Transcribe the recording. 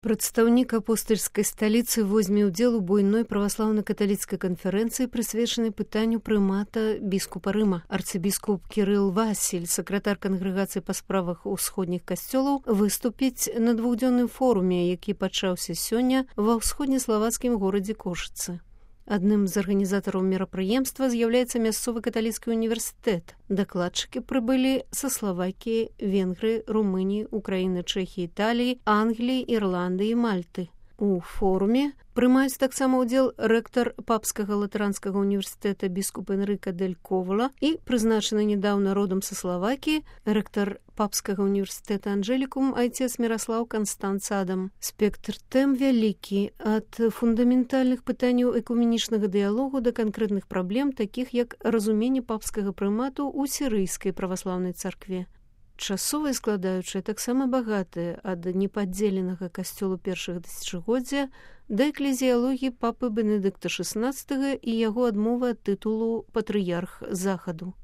Прадстаўнік апостальскай сталіцы возьме ўдзел у буйной праваслаўна-каталіцкай канферэнцыі, прысвечанай пытанню прымата біскупа Рыма. Арцыбіскуп Кірыл Васіль, сакратар кангрэгацыі па справах усходніх касцёлаў, выступіць на двухдзённым форуме, які пачаўся сёння ва ўсходнеславацкім горадзе Кошыцы. Адным з арганізатараў мерапрыемства з'яўляецца мясцовы каталіцкі універсітэт. Дакладчыкі прыбылі са Славакіі, Венгрыі, Румыніі, Украіны, Чэхіі, Італіі, Англіі, Ірландыі і Мальты. У форуме прымаюць таксама ўдзел рэктар папскага латаранскага універсітэта біскуп Энрыка Дель Ковала і прызначаны нядаўна родам са Славакіі рэктар папскага універсітэта Анжелікум айцец Міраслаў Канстанц Адам. Спектр тэм вялікі, ад фундаментальных пытанняў экуменічнага дыялогу да канкрэтных праблем, такіх як разуменне папскага прымату ў сірыйскай праваслаўнай царкве. Часовая складаючая таксама багатая, ад непадзеленага касцёлу першага тысячагоддзя да эклезіялогіі папы Бенедыкта XVI і яго адмовы ад тытулу патрыярх Захаду.